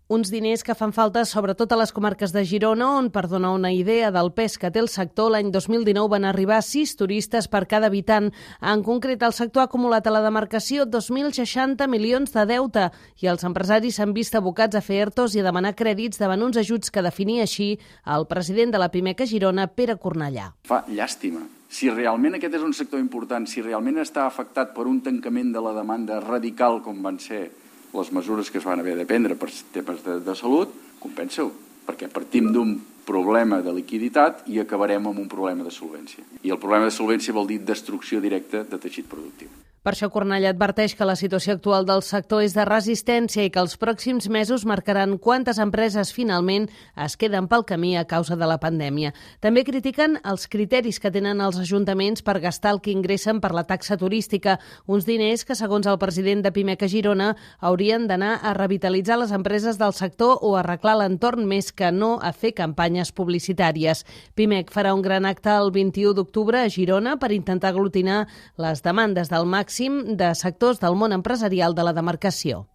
Uns diners que fan falta sobretot a les comarques de Girona, on, per donar una idea del pes que té el sector, l'any 2019 van arribar 6 turistes per cada habitant. En concret, el sector ha acumulat a la demarcació 2.060 milions de deute i els empresaris s'han vist abocats a fer ERTOs i a demanar crèdits davant uns ajuts que definia així el president de la Pimec a Girona, Pere Cornellà. Fa llàstima. Si realment aquest és un sector important, si realment està afectat per un tancament de la demanda radical com van ser les mesures que es van haver de prendre per temes de salut, compensa-ho, perquè partim d'un problema de liquiditat i acabarem amb un problema de solvència. I el problema de solvència vol dir destrucció directa de teixit productiu. Per això Cornellà adverteix que la situació actual del sector és de resistència i que els pròxims mesos marcaran quantes empreses finalment es queden pel camí a causa de la pandèmia. També critiquen els criteris que tenen els ajuntaments per gastar el que ingressen per la taxa turística, uns diners que, segons el president de Pimec a Girona, haurien d'anar a revitalitzar les empreses del sector o arreglar l'entorn més que no a fer campanyes publicitàries. Pimec farà un gran acte el 21 d'octubre a Girona per intentar aglutinar les demandes del màxim de sectors del món empresarial de la demarcació.